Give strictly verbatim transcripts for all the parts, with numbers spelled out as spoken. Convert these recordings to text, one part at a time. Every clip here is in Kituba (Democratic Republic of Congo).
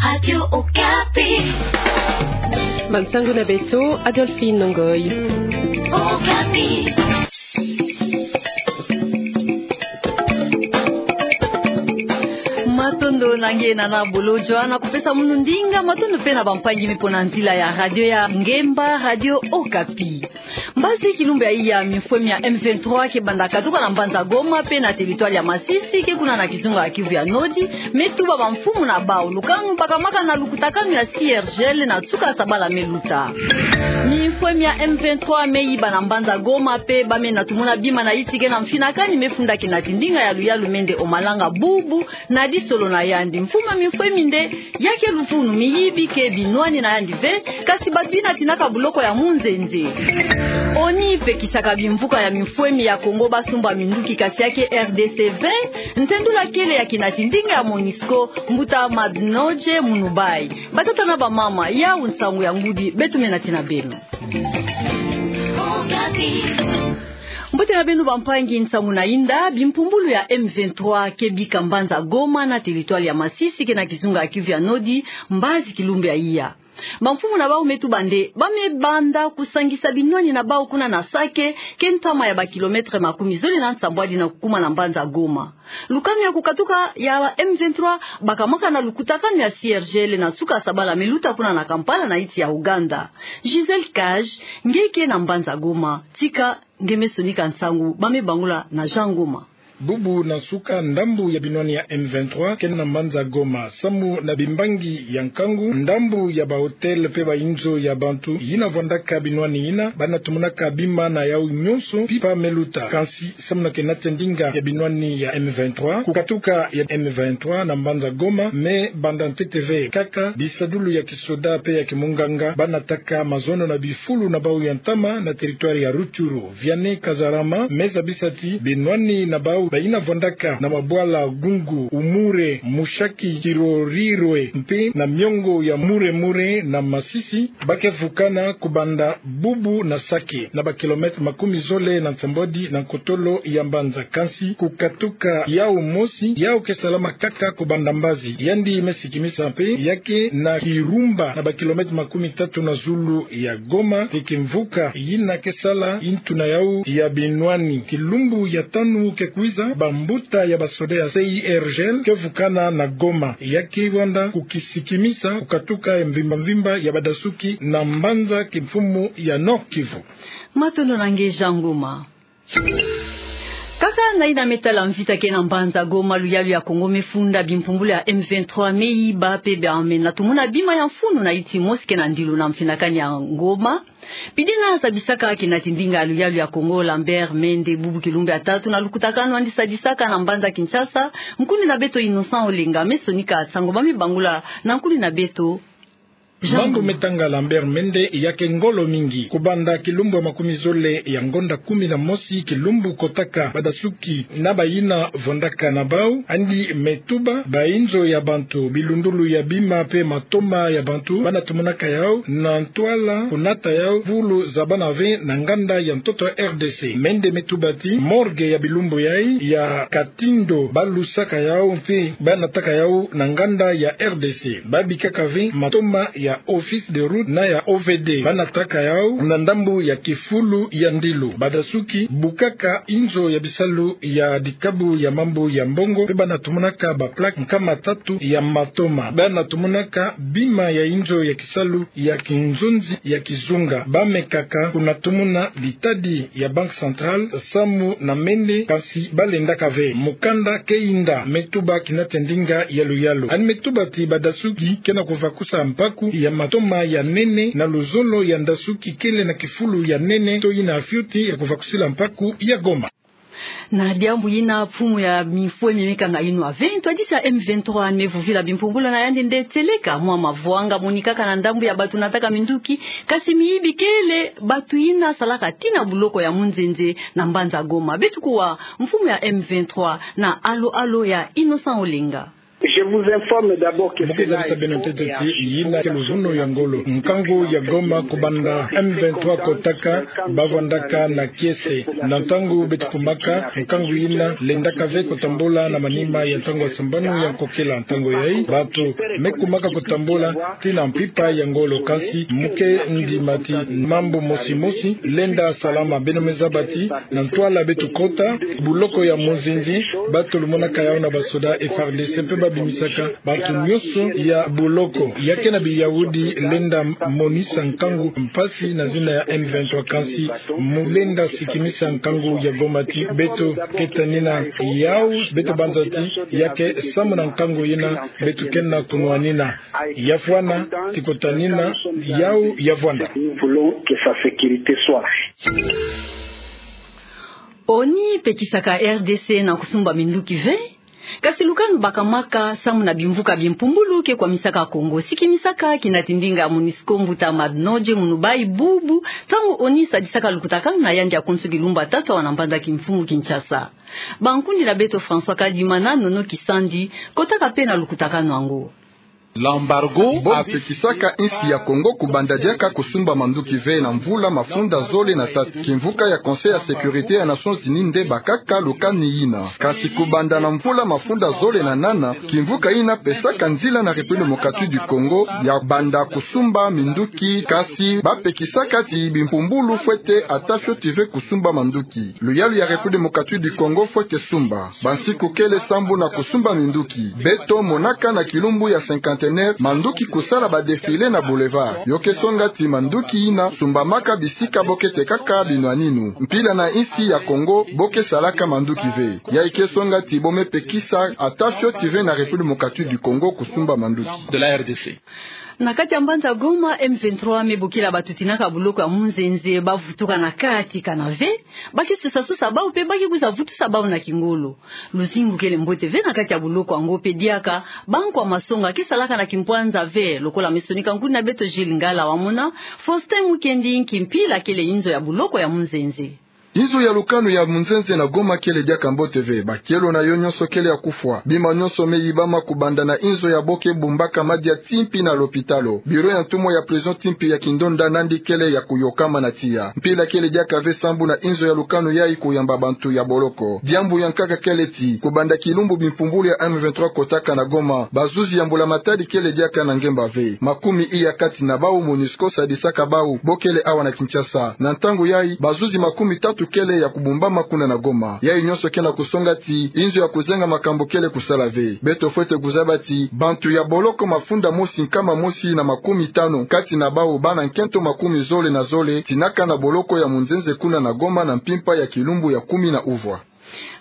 Radio Okapi. Bansangu na beto, Adolphine Ngoy. Okapi. Matondo na nge nana Bolodjwa, na kupesa munu ndinga. Matondo pe na bampangi me pona ntila ya radio ya ngemba, Radio Okapi. Mbazi kilumbu ya iya, mimfwemi ya M vingt-trois ke banda katuka na mbanza Goma pe na territoire ya Masisi ke kuna na kizunga ya Kivu ya Nord, me tuba bamfumu na bau lukanu bakamaka na lukutakanu ya C R G L na nsuka sabala me luta. Mimfwemi ya M vingt-trois me yiba na mbanza Goma pe ba me na tumuna bima na yinti ke na mfinakani me funda kinati ndinga ya luyalu Mende Omalanga Bubu na disolo na yandi. Mfumu ya mimfwemi nde ya ke luvunu miyibi ke binwani na yandi ve, kasi batu yina tinaka buloko ya munzenze. ONU pekisaka bimvuka ya mimfwemi ya Congo basumba minduki, kasi ya ke R D C ve. Ntendula kele ya kinati ndinga ya MONUSCO, mbuta Madnodje Munubai. Batata na bamama, yawu nsangu ya ngudi beto me nati na beno. Mbote na beno bampangi, nsangu na yinda. Bimpumbulu ya M vingt-trois ke bika mbanza Goma na territoire ya Masisi ke na kizunga ya Kivu ya Nord mbazi kilumbu ya iya. Bamfumu na bau me tuba nde ba me banda kusangisa binwani na bau kuna na Sake, ke ntama ya ba kilomètre makumi zole na nsambwadi na kukuma na mbanza Goma. Lukanu ya kukatuka ya M vingt-trois bakamaka na lukutakanu ya C R G L na nsuka sabala me luta kuna na Kampala na yinti ya Ouganda. Gisèle Cage, nge ke na mbanza Goma, tika nge me sonika nsangu ba me bangula na Jean Ngoma. Bubu na nsuka, ndambu ya binwani ya M vingt-trois ke na mbanza Goma samu na bimbangi ya nkangu, ndambu ya ba hôtel pe ba inzo ya bantu yina vwandaka binwani yina, ba na tumunaka bima na yau nyonso mpimpa me luta. Kansi samu na kinati ndinga ya binwani ya M vingt-trois, kukatuka ya M vingt-trois na mbanza Goma me banda ntete ve kaka, bisadulu ya kisoda pe ya kimunganga ba nataka mazono na bifulu na bau ya ntama na territoire ya Rutshuru. Vianney Kazarama me zabisa ti binwani na bau ba yina vwandaka na mabwala Gungu, Umure, Mushaki, Kirorirwe mpe na miongo ya Mure Mure na Masisi, ba ke vukana kubanda Bubu na Sake, na ba kilomètre makumi zole na nsambwadi na nkotolo ya mbanza. Kansi kukatuka yau mosi, yau ke salama kaka kubanda mbazi. Yandi me sikimisa mpe ya ke na Kirumba, na ba kilomètre makumi tatu na zulu ya Goma, ti kimvuka yina ke sala yintu na yau ya binwani. Kilumbu ya tanu ke kwiza, bambuta ya basoda ya C I R G L ke vukana na Goma. Ya ke banda kukisikimisa kukatuka ya mvimba mvimba ya badasuki na mbanza kimfumu ya Nord-Kivu. Matondo na nge Jean Ngoma. Kaka na yina me tala mvita ke na mbanza Goma, luyalu ya Congo me funda bimpumbulu ya M vingt-trois me yiba pe ba me na tumuna bima ya mfunu na yinti mosi ke na ndilu na mfinakani ya Goma. Pidi na zabisaka kinati ndinga ya luyalu ya Congo, Lambert Mende, bubu kilumbu ya tatu na lukutakanu andi sadisaka na mbanza Kinshasa, nkundi na beto Innocent Olenga me sonika nsangu ba me bangula na nkundi na beto. Mambu me tanga Lambert Mende ya ke ngolo mingi. Kubanda kilumbu ya makumi zole ya ngonda kumi na mosi, kilumbu kotaka badasuki na ba yina vwandaka na bau, andi me tuba ba inzo ya bantu, bilundulu ya bima pe matoma ya bantu ba na tumunaka yau na ntwala kunata yau fulu za bana ve na nganda ya ntoto ya R D C. Mende me tuba ti morgue ya bilumbu yai ya Katindo ba lusaka yau mpe ba nataka yau na nganda ya R D C. Ba bikaka ve matoma ya Office de Route na ya O V D ba nataka yau na ndambu ya kifulu ya ndilu. Badasuki bukaka inzo ya bisalu ya dikabu ya mambu ya mbongo, mpe ba na tumunaka ba plaque nkama tatu ya matoma. Ba na tumunaka bima ya inzo ya kisalu ya kinzonzi ya kizunga. Ba mekaka kuna tumuna litadi ya Banque Centrale samu na Mende, kansi ba lendaka ve. Mukanda ke yinda me tuba kinati ndinga ya luyalu. Andi me tuba ti badasuki ke na kuvakusa mpaku ya matoma ya nene na luzolo ya ndasuki kele na kifulu ya nene to yina fioti ya kuvakusila mpaku ya Goma. Na diambu yina, mfumu ya mifwe mi mekanga yinwa ve ntwadisi ya M vingt-trois me vuvila bimpumbulu na yandi nde tieleka mwa mavwanga monikaka na ndambu ya batu nataka minduki, kasi miyibi kele batu yina salaka tii na buloko ya munzenze na mbanza Goma. Beto kuwa mfumu ya M vingt-trois na alo-alo ya Innocent Olenga. Mu ke zabisa beno ntete ti yina ke luvunu ya ngolo. Nkangu ya Goma kubanda M vingt-trois kotaka, bavwandaka na kiese. Na ntangu beto kumaka, nkangu yina lendaka ve kutambula na manima ya ntangu ya sambanu ya nkokila. Ntangu yayi, bantu me kumaka kutambula tii na mpimpa ya ngolo, kasi mu ke ndima ti mambu mosi mosi lenda salama. Beno me zaba ti na ntwala beto kota, buloko ya Munzenze, bato lumonaka yawu na basoda F A R D C mpe babimisaka bantu nyonso ya buloko. Ya ke na biyaudi lenda monisa nkangu mpasi na zina ya M vingt-trois, kasi mu lenda sikimisa nkangu ya Goma ti beto ke tanina yawu, beto banza ti ya ke samu na nkangu yina beto ke na kunwanina. Ya fwana ti kutanina yawu ya vwanda. Nous voulons que sa sécurité soit. ONI pekisaka R D C na kusumba minduki ve. Kasi lukanu bakamaka samu na bimvuka bimpumbulu ke kwamisaka Congo. Sikimisaka kina ti ndinga ya MONUSCO mbuta Madnodje Munubai bubu, ntangu ONI sadisaka lukutakanu na yandi ya konso kilumbu ya tatu awa na mbanza kimfumu Kinshasa. Bankundi na beto François Kadima na Nono Kisandi kotaka mpe na lukutakanu yango. L'embargo. Bo pekisaka insi ya Congo kubanda diaka kusumba manduki ve na mvula mafunda zole na tatu. Kimvuka ya Conseil ya Sécurité ya Nations Unies nde bakaka lukanu yina. Kasi kubanda na mvula mafunda zole na nana, kimvuka yina pesaka nzila na République Démocratique du Congo ya banda kusumba minduki, kasi bapekisaka ti bimpumbulu fwete ata fioti ve kusumba manduki. Luyalu ya République Démocratique du Congo fwete sumba. Bansiku kele sambu na kusumba minduki. Beto monaka na kilumbu ya cinquantenaire manduki kusala ba défilé na boulevard. Yo ke songa ti manduki yina sumbamaka bisika bo ke tekaka binwaninu. Mpila na insi ya Congo bo ke salaka manduki ve. Yayi ke songa ti bo me pekisa ata fioti ve na République Démocratique du Congo kusumba manduki. De la R D C. Na kati ya mbanza Goma, M vingt-trois me bokila bato tinaka buloko ya Munzenze bavutuka na kati kana ve. Ba ke sosa-sosa bawu mpe ba ke kwiza vutusa bawu na kingolo. Luzingu kele mbote ve na kati ya buloko yango mpe diaka bankwa masonga ke salaka na kimpwanza ve, lokola me sonika nkundi na beto Gilles Ngala Wamona. Faustin Mukendi, nki mpila kele inzo ya buloko ya Munzenze? Inzo ya lukanu ya Munzenze na Goma kele diaka mbote ve. Bakielo na yo nyonso kele ya kufwa. Bima nyonso me yibama kubanda na inzo ya bo ke bumbaka madia tii mpi na lopitalo. Bureau ya ntumwa ya prison tii mpi ya Kindonda nandi kele ya kuyokama na tiya. Mpila kele diaka ve sambu na inzo ya lukanu yayi kuyamba bantu ya boloko. Diambu ya nkaka kele ti, kubanda kilumbu bimpumbulu ya M vingt-trois kotaka na Goma, bazuzi ya mbula matadi kele diaka na ngemba ve. Makumi iya kati na bawu MONUSCO sadisaka bawu bo kele awa na Kinshasa. Na ntangu yayi, bazuzi makumi tatu kele ya kubumbama kuna na Goma. Yayi nyonso ke na kusonga ti inzo ya kuzenga makambu kele kusala ve. Beto fwete kuzaba ti bantu ya boloko mafunda mosi nkama mosi na makumi tanu, kati na bawu bana nkento makumi zole na zole tinaka na boloko ya Munzenze kuna na Goma na mpimpa ya kilumbu ya kumi na uvwa.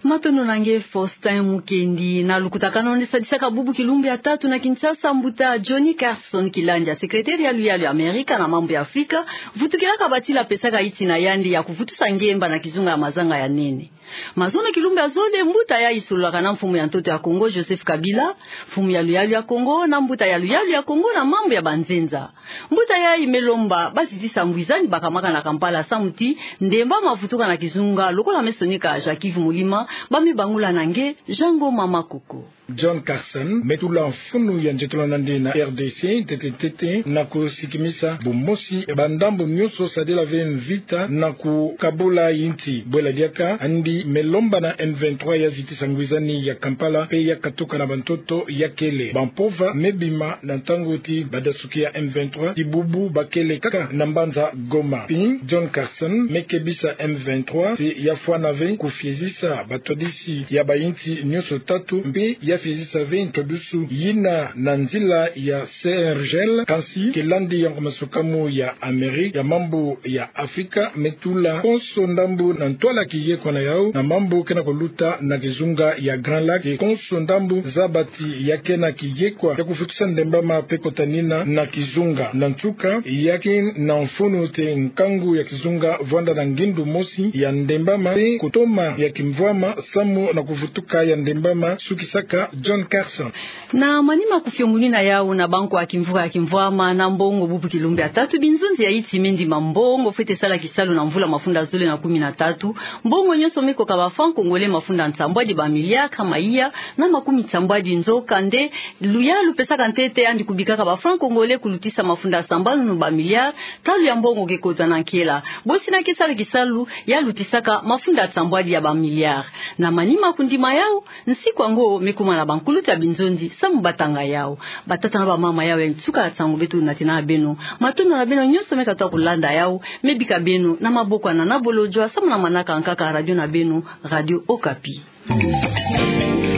Matondo na nge Faustin Mukendi. Na lukutakanu nde sadisaka bubu kilumbu ya tatu na Kinshasa, mbuta Johnny Carson Kilandia, secrétaire ya luyalu ya Amerika na mambu ya Afrika, vutukilaka batila pesaka insi na yandi ya kuvutusa ngemba na kizunga ya mazanga ya nene. Mazono kilumbu ya zole, mbuta yayi sololaka na mfumu ya ntoto ya Congo, Joseph Kabila, mfumu ya luyalu ya Congo, na mbuta ya luyalu ya Congo na mambu ya banzenza. Mbuta yayi me lomba bazitisa ngwizani bakamaka na Kampala samu ti ndemba mavutuka na kizunga, lokola me sonika Jacques Yves Mulima, ba me bangula na nge Jean Ngoma Makoko. John Carson me tula mfunu ya nzietolo na nde na R D C, ntete ntete, na kusikimisa bumosi bandambu nyonso sadila ve mvita na kukabula insi. Bwela diaka, andi me lomba na M vingt-trois ya zitisa ngwizani ya Kampala, mpe ya katuka na bantoto ya kele. Bampova me bima na ntangu ti badasuki ya M vingt-trois, ti bubu ba kele kaka na mbanza Goma. Mpi John Carson me kebisa M vingt-trois ti ya fwana ve kufiezisa batwadisi ya bainsi nyonso tatu, mpe ya fiezisa ve ntwadusu yina na nzila ya C R G L, kansi ke landi ya nkomasukamu ya Amerika ya mambu ya Afrika me tula konso ndambu na ntwala kiyekwa na yawu na mambu ke na kuluta na kizunga ya Grand Lac, ti konso ndambu zaba ti ya ke na kiyekwa ya kuvutusa ndembama mpe kutanina na kizunga. Na nsuka, ya ke na mfunu ti nkangu ya kizunga vwanda na ngindu mosi ya ndembama mpe kutoma ya kimvwama samu na kuvutuka ya ndembama, sukisaka John Carson. Na manima kufiongunina yawu na bankwa kimvuka ya kimvwama na mbongo bubu kilumbu ya tatu, binzunzi ya insi me ndima mbongo fwete sala kisalu na mvula mafunda zole na kumi na tatu, mbongo nyonso Koka ba francs congolais mafunda nsambwadi ba milliards kama iya na makumi nsambwadi, nzokande luyalu lupesaka ntete yandi kubikaka ba francs congolais kulutisa mafunda sambanu ba milliards, talu ya mbongo ke kozana nkela. Bosi na ke sala kisalu ya lutisaka mafunda nsambwadi ya ba milliards. Na manima kundima yau, nsiku yango me kuma na bankulutu ya binzonzi samu batanga yau. Batata na bamama, yau e nsuka ya nsangu beto natena beno. Matondo na beno nyonso me katuka kulanda yau, me bika beno na maboko ya Nana Bolodjwa samu na manaka nkaka radio na beno, Radio Okapi.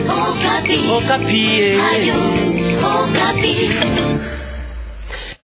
Okapi. Okapi, eh. Radio Okapi.